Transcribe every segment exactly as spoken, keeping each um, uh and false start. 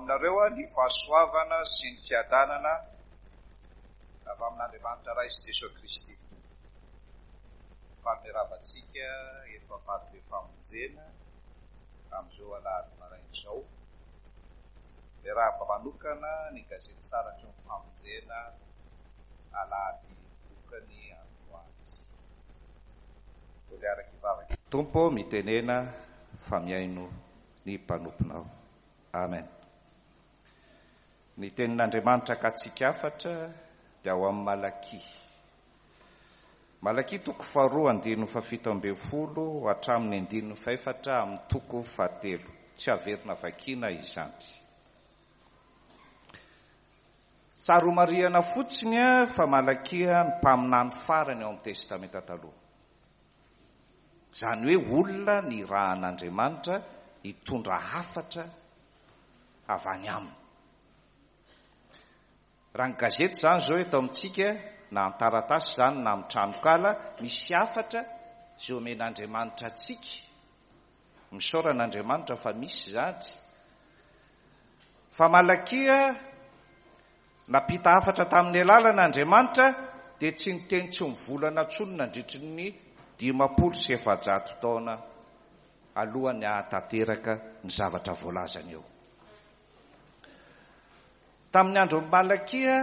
Aminareo ny fahasoavana sy ny fiadanana avy amin'Andriamanitra Ray sy Jesoa Kristy Tompo. Faly miarahaba antsika eto Amparibe Famonjena amin'izao alahady maraina izao. Miarahaba manokana ny gazety Taratry ny Famonjena alahady tokony androany. Mbola araka hivavaka. Tompo, mitenena fa mihaino ny mpanomponao. Amen. Ny tenin'Andriamanitra akatsika hafatra dia ao amin'ny Malakia. Malakia toko faharoa andininy fahafito ambin'ny folo hatramin'ny andininy fahefatra amin'ny toko fahatelo. Tsy averina vakiana izany. Tsara homarihana fotsiny fa Malakia ny mpaminany farany ao amin'ny Testamenta Taloha. Izany hoe olona nirahan'Andriamanitra hitondra hafatra avy any aminy. Raha ny gazety izany izao eto amintsika, na an-taratasy izany na amin'ny tranonkala, misy hafatra izay omen'Andriamanitra antsika. Misaorana Andriamanitra fa misy izany. Fa Malakia nampita hafatra tamin'ny alalana Andriamanitra dia tsy niteny tsy mivolana intsony nandritry ny dimampolo sy efajato taona alohan'ny hahatanteraka ny zavatra voalazany eo. Tamin'ny andron'i Malakia,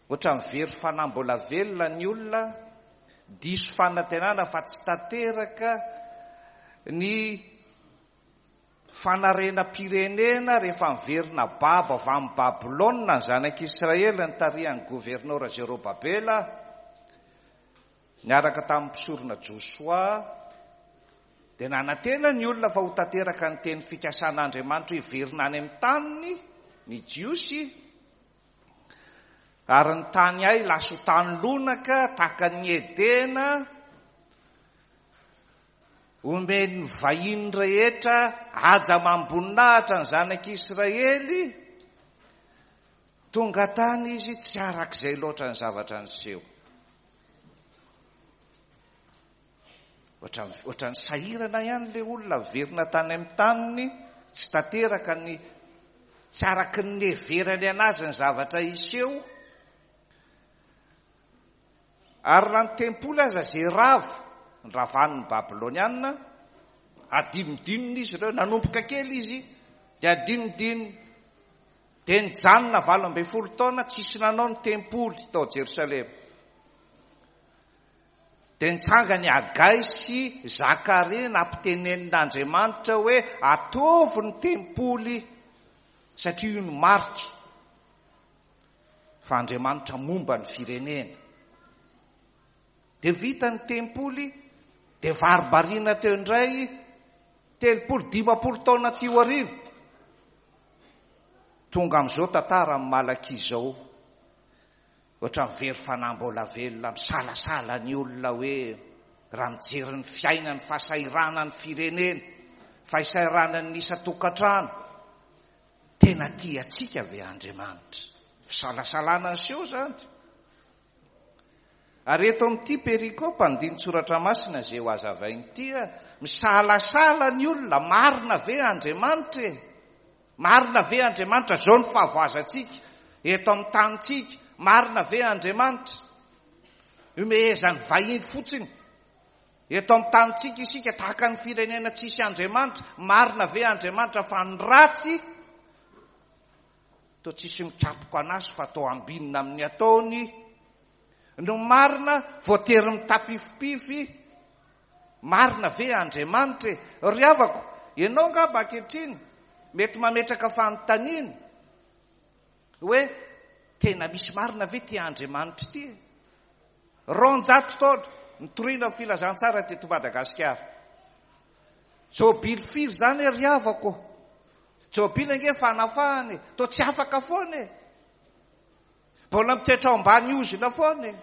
ohatran'ny very fanahy mbola velona ny olona, diso fanantenana fa tsy tanteraka ny fanarenam-pirenena rehefa miverina babo avy amin'ny Babylona ny zanak'Israely nitarihan'ny governora Zerobabela niaraka tamin'ny mpisorona Josoa. Dia nanantena ny olona fa ho tanteraka ny teny fikasan'Andriamanitra hiverina any amin'ny taniny ny Jiosy, ary ny tany ay lasa ho tany lonaka tahaka ny Edena, omen'ny vahiny rehetra haja amam-boninahitra ny zanak'Israely. Tonga tany izy, tsy arak'izay loatra ny zavatra niseho. Ohatran'ny, ohatran'ny sahirana ihany ilay olona verina tany amin'ny taniny, tsy tanteraka ny, tsy araky ny niheverany anazy ny zavatra hiseho. Ary raha ny tempoly aza izay rava, niravanin'ny Babylonianina, adinodinony izy ireo, nanomboka kely izy, dia adinodinony. Dia nijanona valo ambin'ny folo taona tsisy nanao ny tempoly tao Jerosalema. Dia nitsangany Hagay sy Zakaria nampitenenin'Andriamanitra hoe ataovy ny tempoly satria io no marika fa Andriamanitra momba ny firenena. Dia vita ny tempoly, dia varibariana teo indray telopolo, dimampolo taona aty aoriana. Tonga amin'izao tantara amin'ny Malakia izao. Ohatran'ny very fanahy mbola velona, misalasala ny olona hoe raha mijery ny fiainany, fahasahiranan'ny firenena, fahasahiranan'ny isan-tokantrano, tena tia antsika ve Andriamanitra? Fisalasalana niseho izany. Ary eto amin'ity perikopa andinin-tsoratra masina izay ho hazavainy ity, misalasala ny olona, marina ve Andriamanitra e? Marina ve Andriamanitra? Izao ny fahavoazantsika eto amin'ny tanintsika, marina ve Andriamanitra? Omehezan'ny vahiny fotsiny eto amin'ny tanintsika isika tahaka ny firenena tsisy Andriamanitra, marina ve Andriamanitra? Fa ny ratsy toa tsisy mikapoka anazy fa toa ambinina amin'ny ataony. No marina voatery mitapifipify, marina ve Andriamanitra e? Ry havako, ianao angamba ankehitriny mety mametraka fanontaniana hoe tena misy marina ve ty Andriamanitra ity e? Roanjato taona nitoriana ny filazantsara teto Madagasikara. Jobily firy izany e, ry havako? Jobily ange fanafahana e, toa tsy afaka foana e. Mbola mitoetra ao ambany ozona foana e.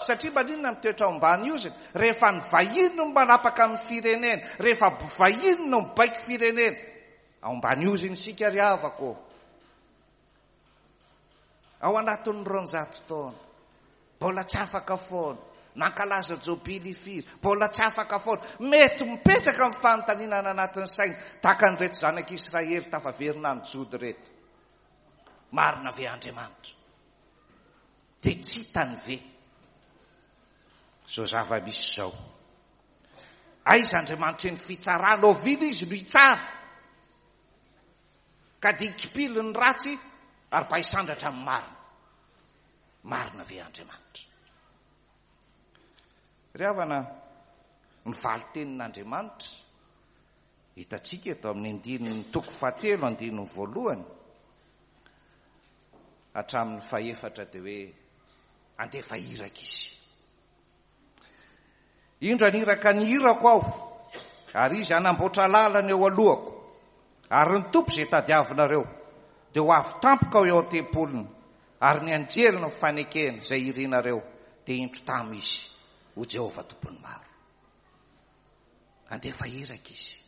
Satria maninona mitoetra ao ambany ozona? Rehefa ny vahiny no manapaka amin'ny firenena, rehefa vahiny no mibaiko firenena, ao ambany ozona isika ry havako. Ao anatin'ny roanjato taona, mbola tsy afaka foana. Nankalaza jobily firy, mbola tsy afaka foana. Mety mipetraka amin'ny fanontaniana anatin'ny saina tahaka an'ireto zanak'Israely tafaverina any Joda ireto. Marina ve Andriamanitra? Dia tsy hitany ve izao zava-misy izao? Aiza Andriamanitra ny fitsarana? Oviana izy no hitsara? Ka dia hikipily ny ratsy ary mba hisandratra amin'ny marina. Marina ve Andriamanitra? Ry havana, ny valin-tenin'Andriamanitra hitantsika eto amin'ny andininy toko fahatelo, andininy voalohany hatramin'ny fahefatra, dia hoe andefa iraka izy. Indro aniraka ny irako aho, ary izy hanamboatra lalana eo alohako, ary ny Tompo izay tadiavinareo dia ho avy tampoka ao eo an-tempoliny, ary ny anjely ny fanekena izay irinareo dia indro tamy izy, ho Jehovah Tompon'ny maro. Andefa iraka izy.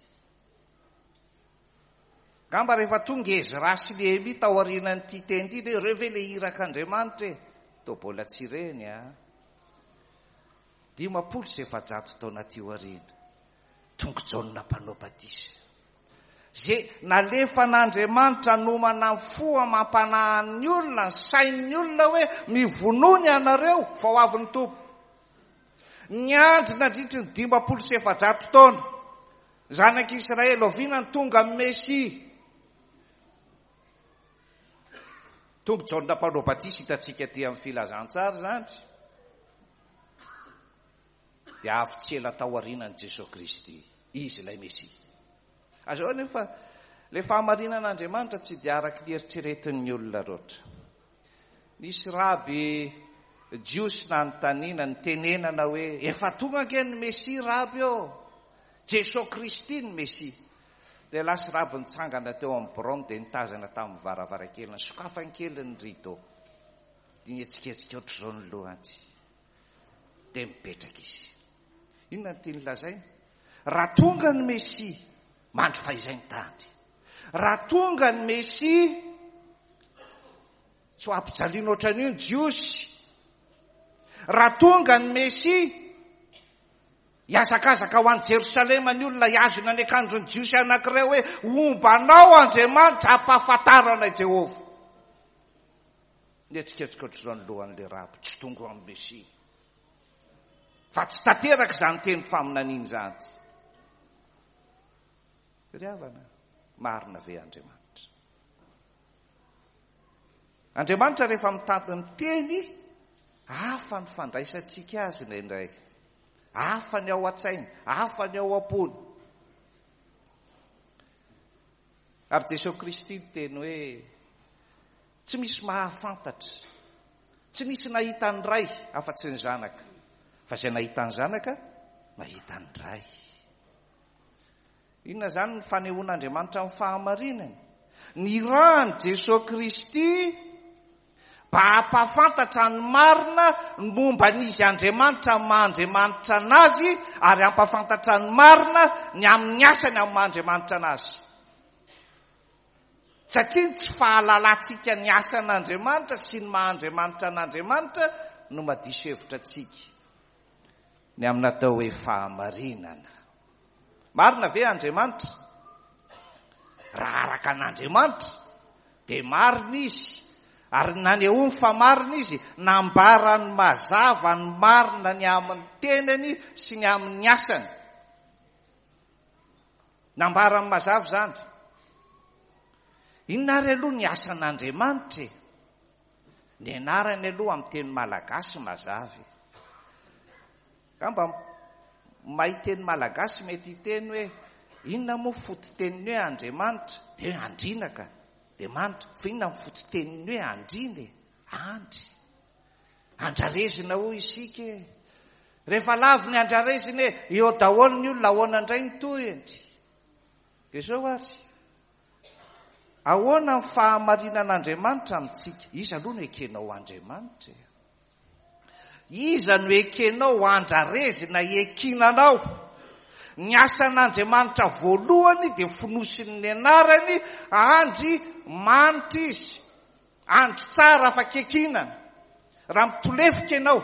Angamba rehefa tonga Ezra sy Nehemia tao aorianan'ity teny ity, dia ireo ve le irak'Andriamanitra e? Toa mbola tsy ireny a. Dimampolo sy efajato taona aty aoriana, tonga Jaona mpanao batisa. Zay nalefan'Andriamanitra nomana ny fo amam-panahin'ny olona, ny sain'ny olona hoe mivonona ianareo fa ho avy ny Tompo. Niandry nandritry ny dimampolo sy efajato taona zanak'Israely, oviana ny tonga amin'ny Mesia? Tonga Jaona mpanao batisa, hitantsika aty amin'ny filazantsara izany. Dia avy tsy ela tao aorianan'i Jesoa Kristy, izy ilay Mesia. Azo anefa ilay fahamarinan'Andriamanitra tsy dia araka ny eritreretin'ny olona loatra. Nisy raby jiosy nanontaniana, nitenenana hoe efa tonga ange ny Mesia raby ô, Jesoa Kristy ny Mesia. Dia lasa raby nitsangana teo amin'ny biraony dia nitazana tamin'ny varavarankely, nisokafany kely ny rideau. Dia nihetsiketsika ohatr'izao ny lohany. Dia mipetraka izy. Inona ny tiany lazaina? Raha tonga ny Mesia, mandry fahizay ny tany. Raha tonga ny Mesia, tsy ho ampijaliana ohatran'io ny Jiosy. Raha tonga ny Mesia, hiazakazaka ho any Jerosalema ny olona, hihazona ny akanjon'ny Jiosy anankiray hoe homba anao Andriamanitra, hampahafantarana i Jehovah. Nihetsiketsika ohatr'izao ny lohan'ilay raby, tsy tonga amin'ny Mesia. Fa tsy tanteraka izany teny faminaniana izany. Ry havana, marina ve Andriamanitra? Andriamanitra rehefa mitady miteny, hafa ny fandraisantsika azy indraindray. Hafa ny ao an-tsainy, hafa ny ao am-pony. Ary Jesoa Kristy niteny hoe tsy misy mahafantatra, tsy nisy nahita ny Ray afa-tsy ny Zanaka, fa izay nahita ny Zanaka nahita ny Ray. Inona izany ny fanehoan'Andriamanitra amin'ny fahamarinany? Nirahany Jesoa Kristy mba hampahafantatra ny marina ny momba an'izy Andriamanitra amin'ny maha Andriamanitra anazy, ary hampahafantatra ny marina ny amin'ny asany amin'ny maha Andriamanitra anazy. Satria ny tsy fahalalantsika ny asan'Andriamanitra sy ny maha Andriamanitra an'Andriamanitra no madiso hevitra antsika ny amin'ny atao hoe fahamarinana. Marina ve Andriamanitra? Raha araka an'Andriamanitra dia marina izy, ary nanehoany fa marina izy, nambarany mazava ny marina ny amin'ny tenany sy ny amin'ny asany. Nambarany mazava izany. Inona ary aloha ny asan'Andriamanitra e? Ny anarany aloha amin'ny teny malagasy mazava. Angamba mahay teny malagasy mety hiteny hoe inona moa fototeniny hoe Andriamanitra? Dia hoe andriana ka, dia manitra. Fa inona ny fototeniny hoe andriana e? Andry. Andrarezina hoy isika e. Rehefa lavo ny andrarezina e, eo daholo ny olona, ahoana indray ny tohiny? Dia izao ary, ahoana ny fahamarinan'Andriamanitra amintsika? Iza aloha no ekenao Andriamanitra e? Iza no ekenao andrarezina ekinanao? Ny asan'Andriamanitra voalohany dia fonosin'ny anarany, andry manitra izy, andry tsara afaka ekinana. Raha mitolefika ianao,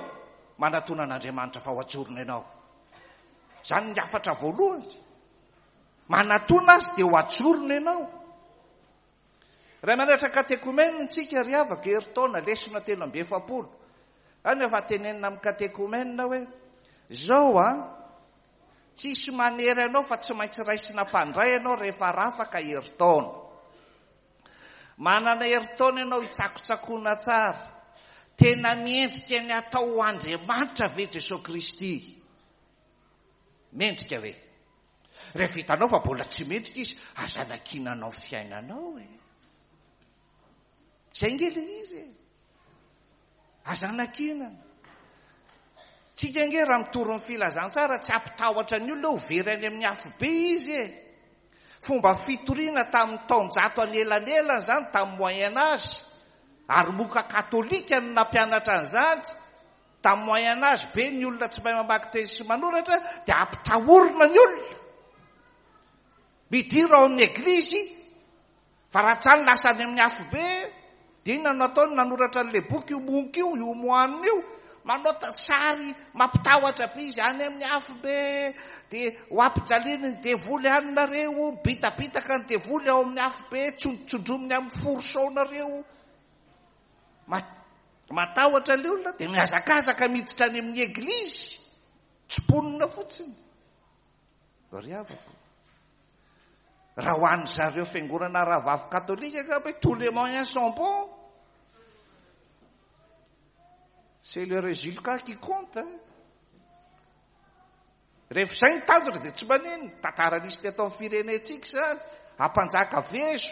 manatona an'Andriamanitra fa ho ajorona ianao. Izany ny hafatra voalohany. Manatona azy dia ho ajorona ianao. Raha manatra katekomena ntsika ry havako, herintaona lesona telo amby efapolo. Any efa tenenina amin'ny katekomena hoe zao a, tsisy manery anao fa tsy maintsy raisina mpandray ianao rehefa rafaka herintaona. Manana herintaona ianao hitsakotsakoana tsara. Tena miendrika ny atao ho Andriamanitra ve Jesosy Kristy? Mendrika ve? Rehefa hitanao fa mbola tsy mendrika izy, aza anakinanao fiainanao e. Zay nge le izy e. Aza anakinana. Tsika nge raha mitory ny filazantsara tsy ampitahotra ny olona ho very any amin'ny afobe izy e. Fomba fitoriana tamin'ny taonjato anelanelana zany, tamin'ny Moyen Âge. Ary moka katolika no nampianatra an'izany. Tamin'ny Moyen Âge be ny olona tsy mahay mamaky teny sy manoratra, dia ampitahorina ny olona. Midira ao amin'ny eglizy, fa raha tsy any lasa any amin'ny afobe, dia inona no ataony? Nanoratra an'ilay boky io monky io, io moine io, manao sary mampitahotra be izy any amin'ny afobe, dia ho ampijaliany ny devoly any nareo, mibitabitaka ny devoly ao amin'ny afobe, tsondrotsondrominy amin'ny fourchon nareo. Matahotra ilay olona, dia mihazakazaka miditra any amin'ny eglizy, tsy mponina fotsiny. Ry havako, raha ho an'ny zareo fiangonana rahavavy katolika angamba hoe tous les moyens sont bons. C'est le résultat qui compte. Rehefa izay ny tanjona dia tsy manino. Tantara nisy teto amin'ny firenentsika izany, ampanjaka vezo.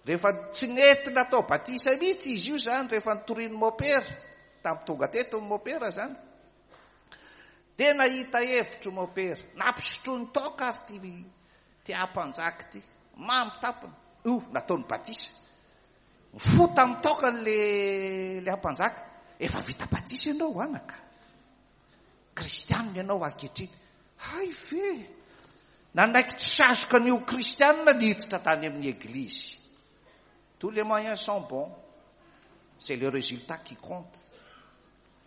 Rehefa tsy nety natao batisa mihitsy izy io zany, rehefa nitorian'ny mopera, tamin'ny tonga teto ny mopera zany, dia nahita hevitro mopera, nampisotroiny toaka ary ty, ty ampanjaka ty, mamy tampony, io nataony batisa. Fo tamin'ny toaka le, le ampanjaka, efa vita batisa ianao anaka, kristianina ianao ankehitriny. Hay ve, nanaiky tsy sazoka an'io kristianina niditra tany amin'ny eglizy. Tous les moyens sont bons, c'est le résultat qui compte.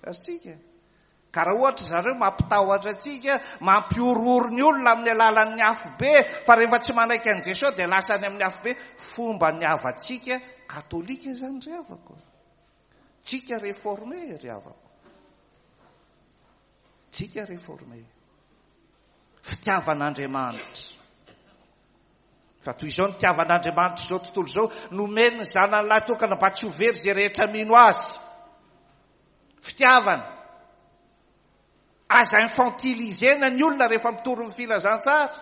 Azontsika. Ka raha ohatra zareo mampitahotra antsika, mampihorohoro ny olona amin'ny alalan'ny afobe, fa rehefa tsy manaiky an'i Jesosy dia lasa any amin'ny afobe. Fomba ny havantsika katolika zany ry havako. Tsika réformé ry havako. Tsika réformé. Fitiavan'Andriamanitra. Fa toy izao ny fitiavan'Andriamanitra izao tontolo izao, nomeny ny zanany lahy tokana mba tsy ho very izay rehetra mino azy. Fitiavana. Aza infantilisena ny olona rehefa mitory ny filazantsara.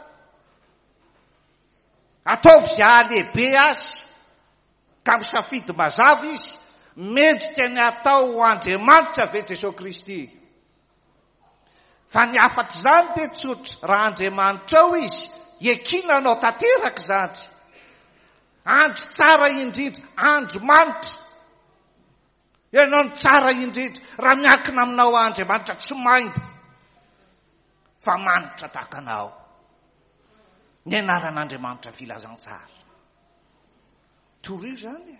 Ataovy izay hahalehibe azy, ka misafidy mazava izy, mendrika ny atao ho Andriamanitra ve Jesosy Kristy? Fa ny hafatr' izany dia tsotra, raha Andriamanitra ao izy, ekina anao tanteraka izany. Andro tsara indrindra, andro manitra. Ianao no tsara indrindra, raha miankina aminao Andriamanitra tsy maimbo, fa manitra tahaka anao. Ny anaran'Andriamanitra filazantsara. Torio izany.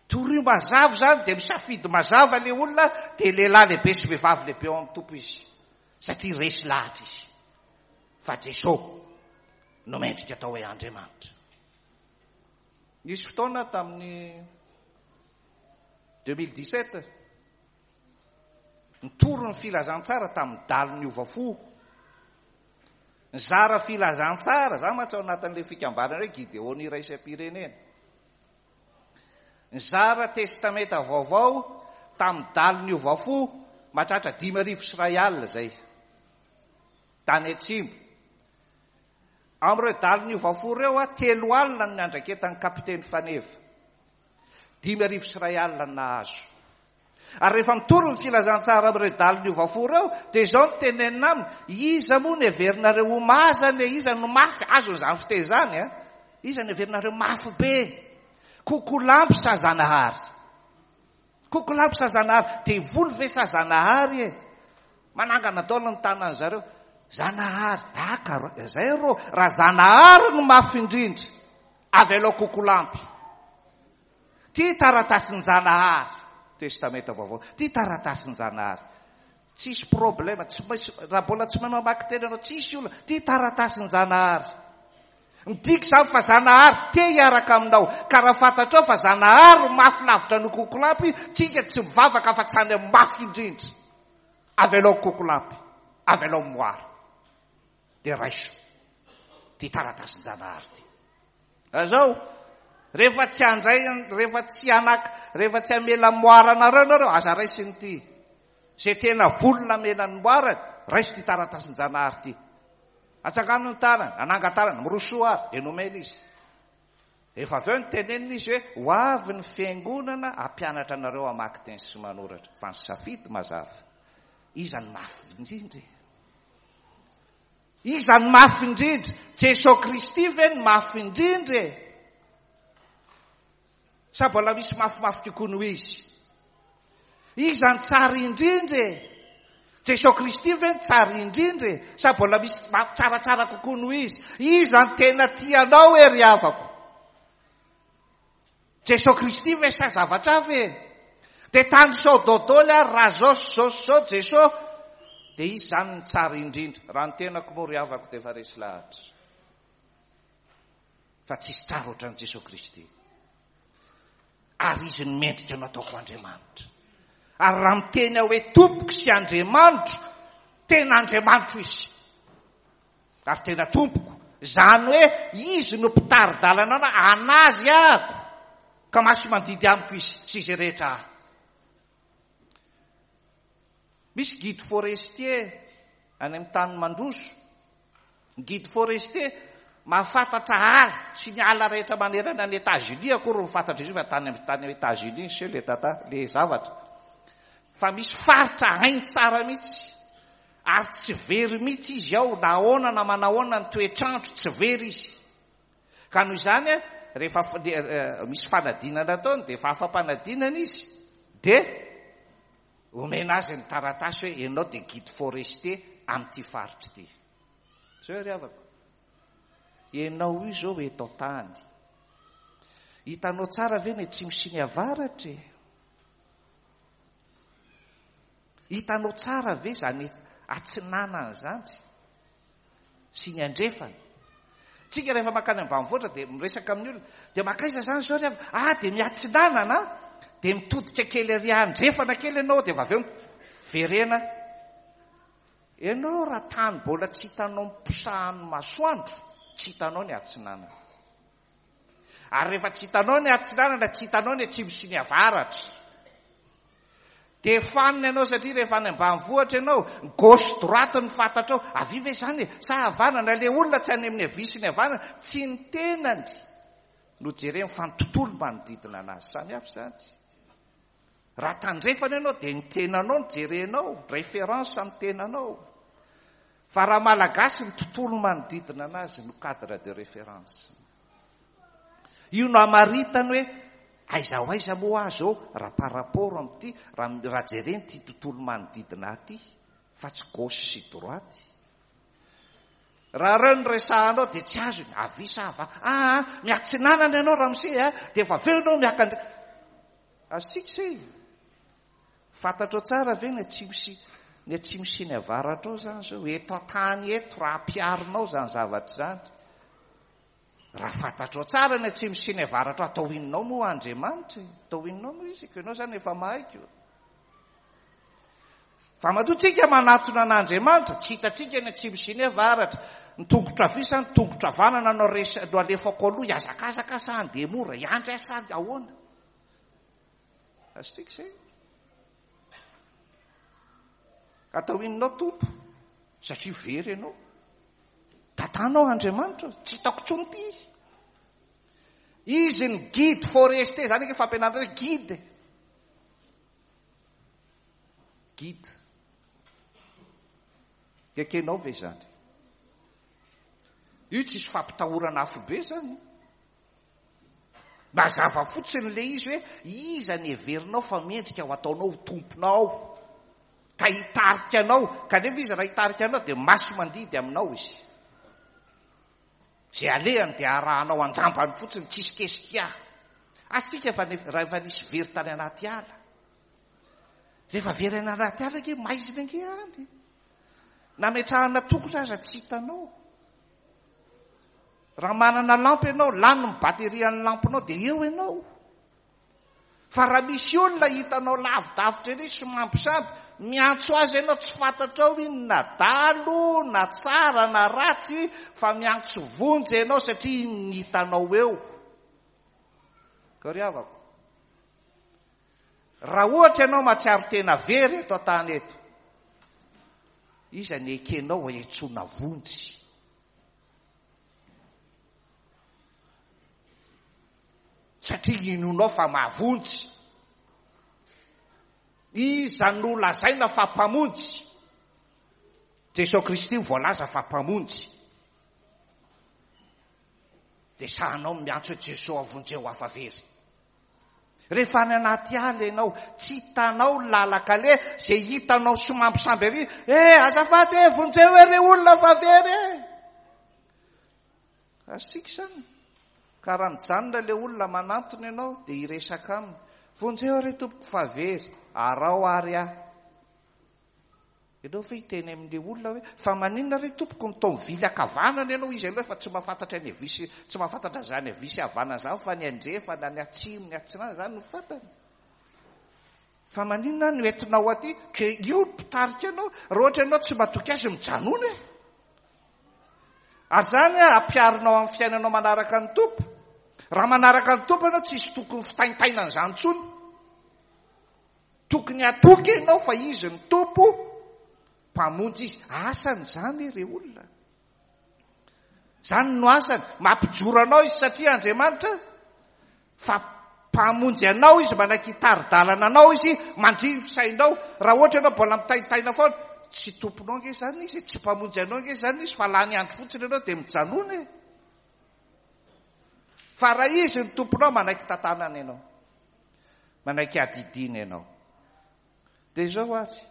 Torio mazava izany, dia misafidy mazava ilay olona, dia lehilahy lehibe sy vehivavy lehibe ao amin'ny Tompo izy. Satria resy lahatra izy. Fa Jesosy no mendrika atao hoe Andriamanitra. Nisy fotoana tamin'ny deux mille dix-sept, nitory ny filazantsara tamin'ny dalo niova fo. Nizara filazantsara, za mantsy ao anatin'ilay fikambanana hoe Gideon iraisam-pirenena. Nizara testamenta vaovao tamin'ny dalo niova fo mahatratra dimy arivo sy iray alina zay. Tany atsimo. Amin'ireo dalo niova fo ireo, a, telo alina no niandraiketan'ny kapiteny Faneva. Dimy arivo sy iray alina no nahazo. Ary rehefa mitory ny filazantsara amin'ireo dalo niova fo ireo, dia izao no tenenina aminy, iza moa no heverinareo ho mazana e? Iza no mafy? Azon'izany fiteny izany, a? Iza no heverinareo mafy be? Kokolampy sa Zanahary? Kokolampy sa Zanahary? Devoly ve sa Zanahary e? Manangana daholo ny tanany zareo. Zanahary, ah, ka zay ro, raha Zanahary no mafy indrindra, avy alao kokolampy. Ty taratasin-Janahary, Testamenta vaovao, ty taratasin-Janahary. Tsisy problema, tsy maintsy, raha mbola tsy mahay mamaky teny ianao, tsisy olona, ty taratasin-Janahary. Midika izany fa Zanahary te hiaraka aminao. Ka raha fantatrao fa Zanahary mafy lavitra no kokolampy, tsika tsy mivavaka fa tsy any amin'ny mafy indrindra. Avelao kokolampy, avelao moara. Dia raiso ty taratasin-Janahary ty. Azao, rehefa tsy handray, rehefa tsy hanaka, rehefa tsy hamela moara anareo nareo, aza raisiny ty. Izay tena vonona hamela ny moarany, raiso ty taratasin-Janahary ty. Atsangano ny tanany, ananga-tanana, mirosoa ary, dia nomena izy. Efa avy eo ny tenenina izy hoe ho avy ny fiangonana hampianatra anareo hamaky teny sy manoratra. Fa ny safidy mazava. Iza ny mafy indrindra? Iza ny mafy indrindra? Jesoa Kristy ve ny mafy indrindra? Sa mbola misy mafimafy kokoa noho izy? Iza ny tsara indrindra? Jesoa Kristy ve ny tsara indrindra? Sa mbola misy mafy tsaratsara kokoa noho izy? Iza ny tena tianao e ry havako? Jesoa Kristy ve sa zavatra ve? Dia tany sao dodoly ary raha zao sy zao sy zao Jesoa, dia izy zany ny tsara indrindra. Raha ny tenako moa ry havako dia efa resy lahatra. Fa tsisy tsara ohatran'i Jesoa Kristy. Ary izy no mendrika no ataoko Andriamanitra. Ary raha miteny aho hoe tompoko sy Andriamanitro, tena Andriamanitro izy. Ary tena tompoko. Izany hoe izy no mpitari-dalana anazy ahako. Ka maso mandidy amiko izy sy izay rehetra ahy. Misy guide forestier any amin'ny tany mandroso. Guide forestier mahafantatra ala, tsy ny ala rehetra manerana ny États-Unis akory no fantatra izy io, fa tany amin'ny tany États-Unis sy le tata le zavatra. Fa misy faritra hainy tsara mihitsy. Ary tsy very mihitsy izy ao, na ahoana na manahoana ny toetrandro, tsy very izy. Ka noho izany, rehefa misy fanadinana ataony, dia efa afa-panadinana izy, dia omena azy ny taratasy hoe ianao dia guide forestier amin'ity faritra ity. Zao ry havako. Ianao io zao eto an-tany. Hitanao tsara ve ny atsimo sy ny avaratra e? Hitanao tsara ve zany atsinanana zany sy ny andrefana? Tsika rehefa mankany ambanivohitra dia miresaka amin'ny olona, dia makaiza zany zao ry havako? Ah, dia miatsinanana, dia mitodika kely ary andrefana kely ianao, dia avy eo verena. Ianao raha tany mbola tsy hitanao miposahan'ny masoandro, tsy hitanao ny atsinanana. Ary rehefa tsy hitanao ny atsinanana, tsy hitanao ny atsimo sy ny avaratra. Dia fanina ianao satria rehefa any ambanivohitra ianao, gauche droite ny fantatrao. Avia ve zany e? Sa havanana? Le olona tsy any amin'ny havia sy ny havanana, tsy ny tenany no jereny fa ny tontolo manodidina anazy. Samy hafa izany. Raha tandrefana ianao dia ny tenanao no jerenao, référence ny tenanao. Fa raha malagasy ny tontolo manodidina anazy no cadre de référence. Io no amaritany hoe aiza ho aiza moa azy eo raha par rapport amin'ity, raha, raha jereny ity tontolo manodidina aty, fa tsy gauche sy droite. Raha reo no resahanao dia tsy azony, avia sa ava? Ah, miatsinanana ianao ramose, ah, dia efa avy eo ianao miakandre. Azontsika izay. Fantatrao tsara ve ny atsimo sy ny atsimo sy ny avaratra ao zany zao? Eto an-tany eto raha ampiharinao zany zavatra izany. Raha fantatrao tsara ny atsimo sy ny avaratra ao, atao inonao moa Andriamanitra? Atao inonao moa izy? Ko ianao zany efa mahay ko. Fa matoa tsika manatona an'Andriamanitra, tsy hitantsika ny atsimo sy ny avaratra. Ny tongotra havia sa ny tongotra havanana no res-, no alefako aloha, hihazakazaka sa handeha mora, hiandry aho sa ahoana? Azontsika izay. Atao inonao Tompo? Satria very ianao. Tatanao Andriamanitra, tsy hitako intsony ity. Izy ny guide forestier, zany ake fampianarana hoe guide. Guide. Ekenao ve zany? Io tsisy fampitahorana afobe zany. Mazava fotsiny le izy hoe iza ny heverinao fa mendrika ho ataonao ho tomponao, ka hitarika anao, kanefa izy raha hitarika anao dia maso mandidy aminao izy. Izay alehany dia arahanao anjambany fotsiny, tsisy kesika. Asika fa nef-, raha efa nisy very tany anaty ala. Rehefa very any anaty ala ange, maizina ange any. Nametrahana tokona aza tsy hitanao. Raha manana lampy ianao, lany ny batterie an'ny lampinao dia eo ianao. Fa raha misy olona hitanao lavidavitra ery somambisamby, miantso azy ianao, tsy fantatrao iny na dalo na tsara na ratsy, fa miantso vonjy ianao satria iny ny hitanao eo. Ka ry havako, raha ohatra ianao mahatsiaro tena very eto an-tany eto, iza ny ekenao hiantsoana vonjy? Satria inonao fa mahavonjy. Iza no lazaina fa mpamonjy? Jesosy Kristy voalaza fa mpamonjy. Dia sahanao miantso hoe Jesosy avonjeo hafa very. Rehefa any anaty ala ianao, tsy hitanao lalakale, izay hitanao somambisamby ery, eh, azafady e, vonjeo e, re olona fa very e. Azontsika izany. Ka raha mijanona ilay olona manantona ianao, dia hiresaka aminy. Vonjeo re tompoko fa very, arao ary aho. Ianao ve hiteny amin'ilay olona hoe, fa maninona re tompoko mitao mivily ankavanana ianao, izy aloha efa tsy mahafantatra ny havia sy, tsy mahafantatra izany havia sy havanana izany, fa ny andrefana, ny atsimo, ny atsinanana izany no fantany. Fa maninona no entinao aty, ke io ny mpitarika anao, raha ohatra ianao tsy matoky azy mijanona e. Ary izany ampiharinao amin'ny fiainanao manaraka ny Tompo. Raha manaraka ny Tompo ianao, tsisy tokony fitaintainana izany intsony. Tokony hatoky ianao fa izy ny Tompo, mpamonjy izy. Asany izany re olona. Izany no asany. Mampijoro anao izy satria Andriamanitra fa mpamonjy anao izy, manaiky hitari-dalana anao izy, mandriny fisainao. Raha ohatra ianao mbola mitaintaina foana, tsy tomponao ange izany izy, tsy mpamonjy anao ange izany izy, fa lany andro fotsiny ianao dia mijanona e. Fa raha izy ny tomponao, manaiky tantanana ianao, manaiky adidina ianao. Dia izao ary,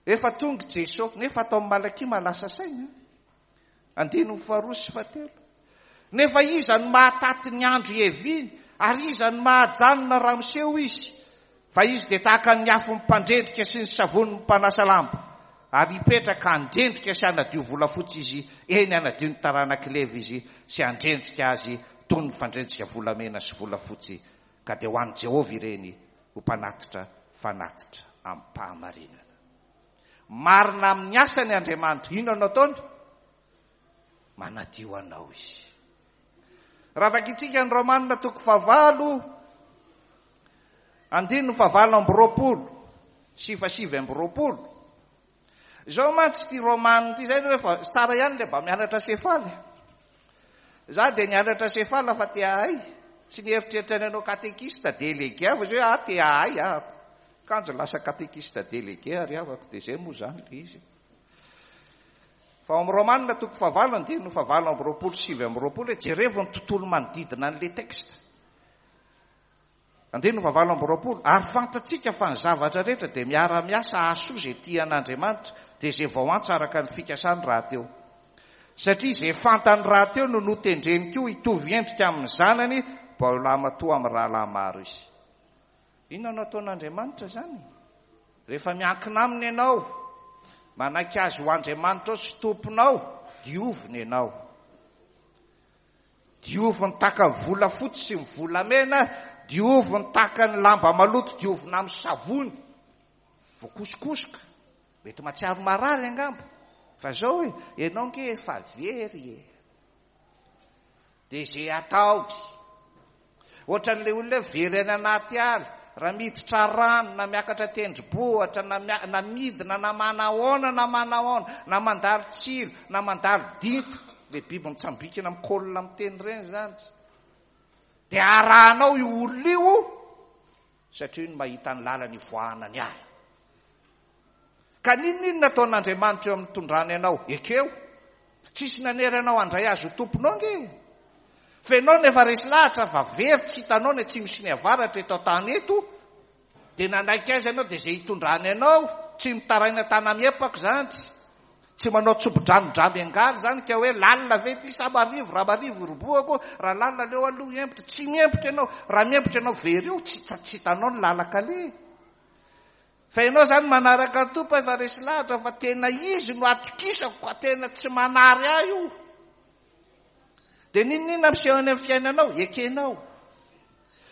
efa tonga Jesosy, nefa atao amin'ny Malakia mahalasa saina, andininy faharoa sy fahatelo. Nefa iza no mahataty ny andro ieviny, ary iza no mahajanona raha miseho izy? Fa izy dia tahaka ny afon'ny mpandrendrika sy ny savon'ny mpanasa lamba, ary hipetraka handrendrika sy hanadio volafotsy izy, eny hanadio ny taranak'i Levy izy sy handrendrika azy toy ny fandrendrika volamena sy volafotsy, ka dia ho an'i Jehovah ireny ho mpanatitra fanatitra amim-pahamarinana. Marina amin'ny asany Andriamanitra. Inona no ataony? Manadio anao izy. Raha vakintsika ny Romanina toko fahavalo, andininy fahavalo amby roapolo sy fahasivy amby roapolo. Izao mantsy ity Romanina ity, izay no efa tsara ihany ilay mba mianatra sefaly. Za dia nianatra sefala fa te ahay. Tsy nieritreritra ny anao katekista délégué aho, fa izao hoe ah, te ahay ahako. Kanjo lasa katekista délégué ary avako, dia izay moa izany ilay izy. Fa ao amin'ny Romanina toko fahavalo, andininy fahavalo amby roapolo sy sivy amby roapolo, hoe jerevo ny tontolo manodidina an'ilay texte. Andininy fahavalo amby roapolo, ary fantatsika fa ny zavatra rehetra dia miara-miasa hahasoa izay tia an'Andriamanitra, dia izay vao antsa araka ny fikasany rahateo. Satria izay fantany rahateo no notendreny koa hitovy endrika amin'ny zanany, mba ho lahimatoa amin'ny rahalahy maro izy. Inona no ataon'Andriamanitra izany? Rehefa miankina aminy ianao, manaiky azy ho Andriamanitra ao sy tomponao, dioviny ianao. Dioviny tahaka ny volafotsy sy ny volamena, dioviny tahaka ny lamba maloto, diovina amin'ny savony. Voakosokosoka, mety mahatsiaro marary angamba. Fa zao hoe, ianao nge efa very e. Dia izay ataony. Ohatran'ilay olona hoe very any anaty ala, raha miditra rano, na miakatra tendrombohitra, na mia-, na midina, na manahoana, na manahoana, na mandalo tsilo, na mandalo dinta, ilay biby mitsambikina mikolona miteny ireny izany. Dia arahanao io olona io, satria io no mahita ny lalana ivoahana ny ala. Ka n'inon'inona ataon'Andriamanitra eo amin'ny tondrany anao, ekeo. Tsisy nanery anao handray azy ho tomponao nge. Fa ianao nefa resy lahatra fa very, tsy hitanao ny atsimo sy ny avaratra eto an-tany eto, dia nanaiky azy ianao, dia izay hitondrany anao, tsy mitaraina tana-miepaka izany, tsy manao tsobo-drano-dramiangaly izany, ka hoe lalina ve ity sa marivo, raha marivo robohako, raha lalina aleo aloha hiempotra. Tsy miempotra ianao, raha miempotra ianao very io, tsy hita-, tsy hitanao ny lalan-kaleha. Fa ianao izany manaraka ny Tompo efa resy lahatra fa tena izy no atokisako, ka tena tsy manary ahy io. Dia n'inon'inona miseho any amin'ny fiainanao, ekenao.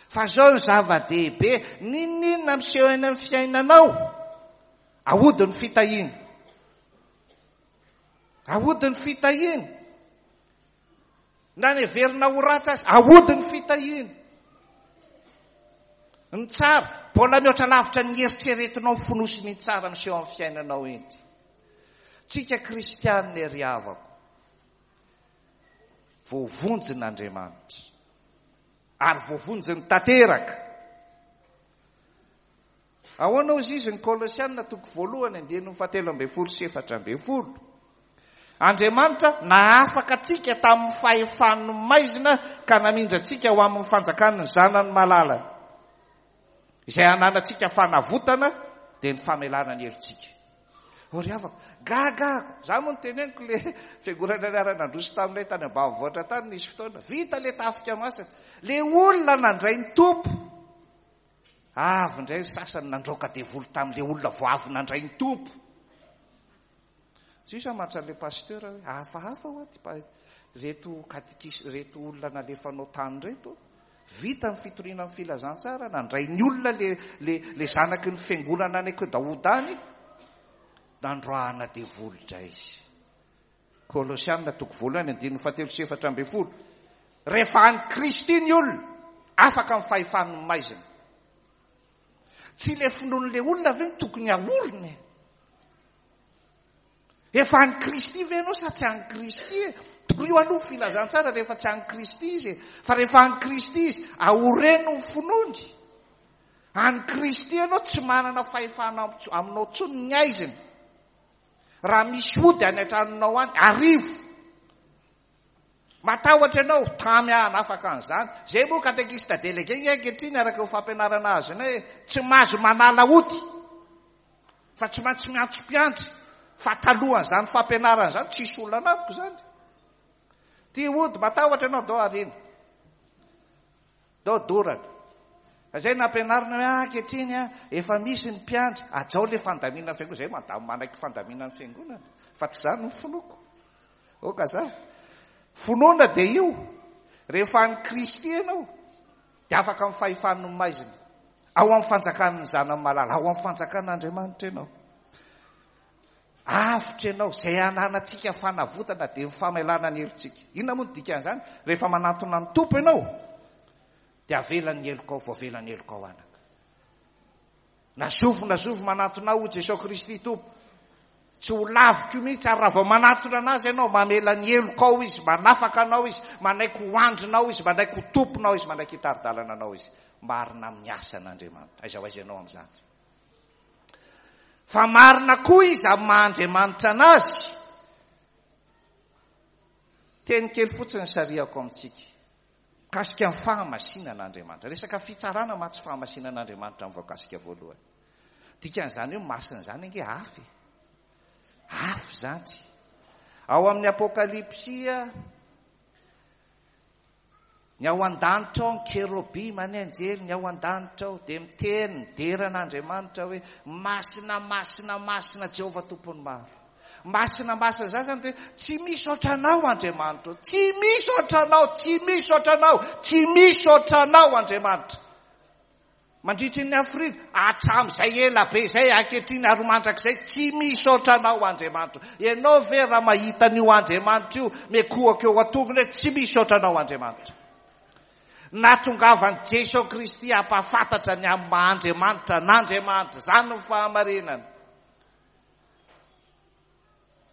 Fa zao ny zava-dehibe, n'inon'inona miseho any amin'ny fiainanao, aody ny fitahiana. Aody ny fitahiana. Na ny heverina ho ratsy azy, aody ny fitahiana. Ny tsara, mbola mihoatra lavitra ny eritreretinao fonosiny ny tsara miseho amin'ny fiainanao iny. Tsika kristianina ry havako, voavonjin'Andriamanitra ary voavonjiny tanteraka. Ahoana hozy izy ny Kolosianina toko voalohany andininy fahatelo ambin'ny folo sy efatra ambin'ny folo. Andriamanitra nahafaka antsika tamin'ny fahefan'ny maizina ka namindra antsika ho amin'ny fanjakan'ny zanany malalany, izay ananantsika fanavotana dia ny famelana ny helotsika. O ry havako, gaga za moa no teneniko le fiangonana niara-nandroso taminay tany ambanivohitra tany nisy fotoana vita le tafika masina, le olona nandray ny Tompo avy indray ny sasany nandroaka devoly tamin'le olona vao avy nandray ny Tompo. Tsisy amantsy an'le pasteur hoe hafahafa hoa ty pa- reto katekisy reto olona nalefanao tany reto, vita ny fitoriana ny filazantsara, nandray ny olona le, le, le zanaky ny fiangonana any Daoda any, nandroahana devoly indray izy. Kolosianina toko voalohany andininy fahatelo sy efatra ambin'ny folo. Rehefa any Kristy ny olona, afaka amin'ny fahefan'ny maizina. Tsy le finoan'le olona ve no tokony haorina e? Efa any Kristy ve ianao sa tsy any Kristy e? Torio aloha filazantsara rehefa tsy any Kristy izy e. Fa rehefa any Kristy izy, aoreno ny finoany. Any Kristy ianao tsy manana fahefana aminao intsony ny aizina. Raha misy ody any an-tranonao any, arivo. Matahotra ianao, tamy aho hanafaka an'izany. Zay moa katekista délégué ankehitriny araka ny fampianarana azonay hoe tsy mahazo manala ody, fa tsy maintsy miantso mpiandry. Fa talohan'izany fampianarana izany tsisy olona anamiko izany. Ty ody matahotra ianao, dao arina, dao dorana. Zay nampianarina hoe ah, ankehitriny ah, efa misy ny mpiandry, ajao le fandaminana fiangonana. Zay mandamy manaiky fandaminana fiangonana, fa tsy zany ny finoako. Oka za. Finoana dia io, rehefa any Kristy ianao, dia afaka amin'ny fahefan'ny maizina, ao amin'ny fanjakan'ny zanany malala, ao amin'ny fanjakan'Andriamanitra ianao. Avotra ianao, izay ananantsika fanavotana dia ny famelana ny helotsika. Inona moa no dikan'izany? Rehefa manantona ny Tompo ianao, dia avelany ny helokao, voavela ny helokao anaka. Na zovy na zovy manantona aho Jesosy Kristy Tompo, tsy ho laviko mihitsy. Ary raha vao manantona anazy ianao, mamela ny helokao izy, manafaka anao izy, manaiky ho andrinao izy, manaiky ho tomponao izy, manaiky hitari-dalana anao izy. Marina amin'ny asan'Andriamanitra. Aiza ho aiza ianao amin'izany? Fa marina koa izy amin'ny maha Andriamanitra anazy. Teny kely fotsiny sarihako amintsika. Mikasika ny fahamasinan'Andriamanitra. Resaka fitsarana mantsy fahamasinan'Andriamanitra amin'ny voakasika voalohany. Dikan'izany hoe masina izany ange afy. Afy izany. Ao amin'ny Apokalypsy, ny ao an-danitra ao, ny kerobima, ny anjely, ny ao an-danitra ao, dia miteny, midera an'Andriamanitra hoe masina, masina, masina Jehovah Tompon'ny maro. Masina, masina izany zany dia hoe tsy misy ohatranao Andriamanitra, tsy misy ohatranao, tsy misy ohatranao, tsy misy ohatranao Andriamanitra. Mandritry ny hafiriana, hatramin'izay ela be izay, ankehitriny ary mandrakizay, tsy misy ohatranao Andriamanitra. Ianao ve raha mahita an'io Andriamanitra io, mikohaka eo an-tongony hoe tsy misy ohatranao Andriamanitra. Nahatongavan'i Jesosy Kristy hampahafantatra ny amin'ny maha Andriamanitra an'Andriamanitra. Izany no fahamarinana.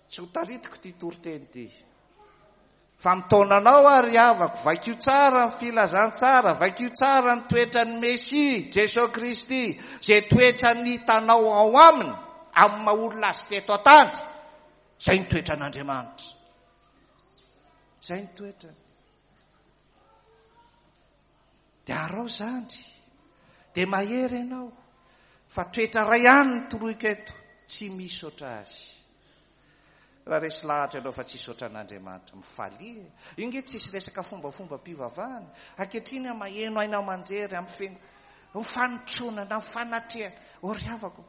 Tsy ho taritiko ity toriteny ity. Fa mitaona anao ary havako, vakio tsara ny filazantsara, vakio tsara ny toetran'ny Mesia, Jesosy Kristy, izay toetrany hitanao ao aminy, amin'ny maha olona azy teto an-tany. Izay ny toetran'Andriamanitra. Izay ny toetrany. Dia arao zany. Dia mahery ianao. Fa toetra iray ihany no toroiko eto, tsy misy oatra azy. Raha resy lahatra ianao fa tsisy ohatran'Andriamanitra, mifalia. Io nge tsisy resaka fombafomba-pivavahana. Ankehitriny aho maheno aina aman-jery amin'ny feno mifanotronana, mifanatrehana. O ry havako,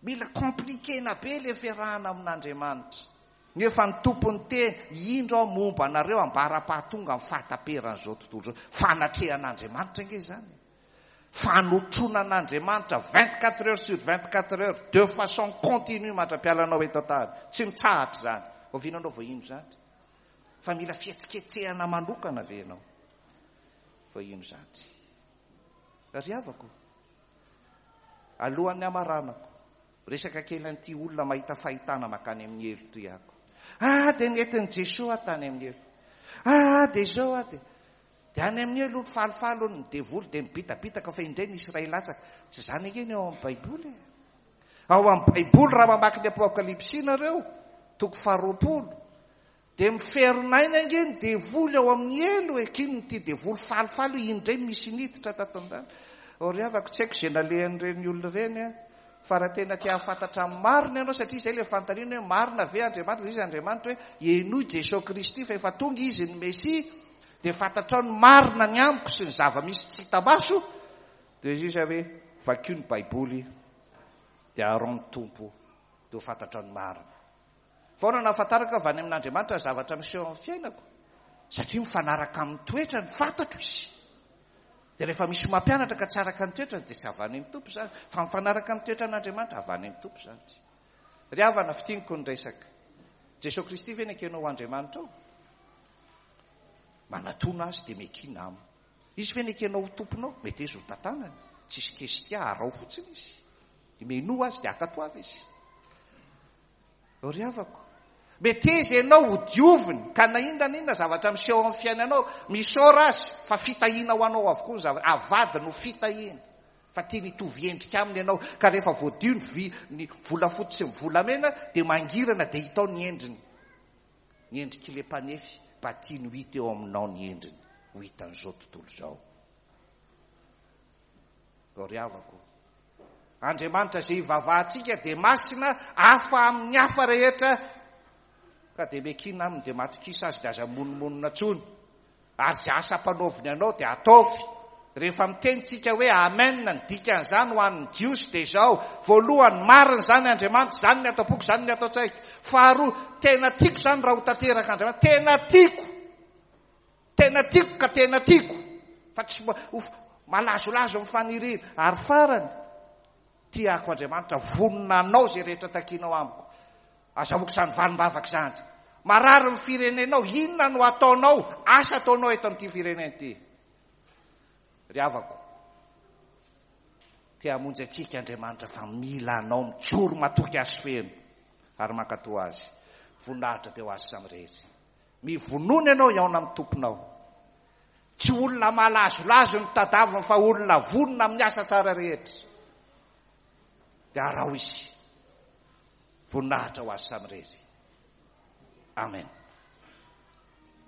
mila compliquena be le fiarahana amin'Andriamanitra. Nefa ny Tompo niteny, indro aho momba anareo ambara-pahatonga amin'ny fahataperan'izao tontolo izao. Fanatrehan'Andriamanitra ange izany. Fanotronan'Andriamanitra vingt-quatre heures sur vingt-quatre heures, de façon continue mandra-pialanao eto an-tany. Tsy mitsahatra izany. Oviana anao vao hino izany? Fa mila fihetsiketsehana manokana ve ianao vao hino izany? Ry havako, alohan'ny hamaranako, resaka kely an'ity olona mahita fahitana mankany amin'ny helo toy ako. Ah, dia nentin'i Jesoa tany amin'ny helo. Ah, dia izao ah, dia dia any amin'ny helo falifaly ny devoly dia mibitabitaka fa indray nisy iray latsaka. Tsy izany ange ny ao amin'ny Baiboly e. Ao amin'ny Baiboly raha mamaky ny Apokalypsy nareo, toko faharoapolo, dia miferinaina ange ny devoly ao amin'ny helo e. K'inona ity devoly falifaly io, indray misy niditra tato an-dany. Ry havako, tsy haiko izay nalehan'ireny olona ireny a. Fa raha tena te hahafantatra ny marina ianao, satria izay ilay fanontaniana hoe marina ve Andriamanitra, izay izy Andriamanitra hoe henoy Jesoa Kristy fa efa tonga izy ny Mesia, dia fantatrao ny marina ny amiko sy ny zava-misy tsy hita maso, dia izy izy hoe vakio ny Baiboly, dia arao ny Tompo, dia ho fantatrao ny marina. Fa ahoana no ahafantarako avy any amin'Andriamanitra ny zavatra miseho amin'ny fiainako? Satria mifanaraka amin'ny toetrany, fantatro izy. Dia rehefa misy mampianatra ka tsy araka ny toetrany, dia tsy avy any amin'ny Tompo izany. Fa mifanaraka amin'ny toetran'Andriamanitra, avy any amin'ny Tompo izany. Ry havana, fintiniko ny resaka. Jesoa Kristy ve nekenao ho Andriamanitra ao? Manatona azy dia mekina aminy. Izy ve nekenao ho tomponao? Mety izy ho tantanany. Tsisy kesika, arao fotsiny izy. Menoa azy dia akatoavy izy. Ry havako, meteza ianao ho dioviny, ka na inona na inona zavatra miseho amin'ny fiainanao, misaora azy fa fitahiana ho anao avokoa ny zavatra. Avadiny ho fitahiana, fa tiany hitovy endrika aminy ianao, ka rehefa voadio ny vy, ny volafotsy sy ny volamena, dia mangirana dia hitao ny endriny. Ny endrik'ilay mpanefy, mba tiany ho hita eo aminao ny endriny, ho hitan'izao tontolo izao. Ry havako, Andriamanitra izay ivavahantsika dia masina, hafa amin'ny hafa rehetra, ka dia mekina aminy, dia matokisa azy, dia aza monomonona intsony. Ary izay asa ampanaoviny anao dia ataovy. Rehefa miteny tsika hoe amen, ny dikan'izany ho an'ny Jiosy dia izao: voalohany, marina izany Andriamanitra, izany ny ato am-poko, izany ny ato an-tsaiko. Faharoa, tena tiako izany raha ho tanteraka Andriamanitra, tena tiako, tena tiako ka tena tiako, fa tsy malazolazo ny faniriana. Ary farany, tiako Andriamanitra, vonona anao izay rehetra takianao amiko. Azahoako izany valim-bavaka izany. Marary ny firenenao, inona no ataonao? Asa ataonao eto amin'ity firenena ity. Ry havako, te hamonjy antsika Andriamanitra fa mila anao mijoro matoky azy feno ary mankatoa azy. Voninahitra teo azy samirery. Mivonona ianao hihaona amin'ny tomponao. Tsy olona malazolazo ny tadaviny fa olona vonona amin'ny asa tsara rehetra. Dia araho izy. Voninahitra ho azy samirery. Amen.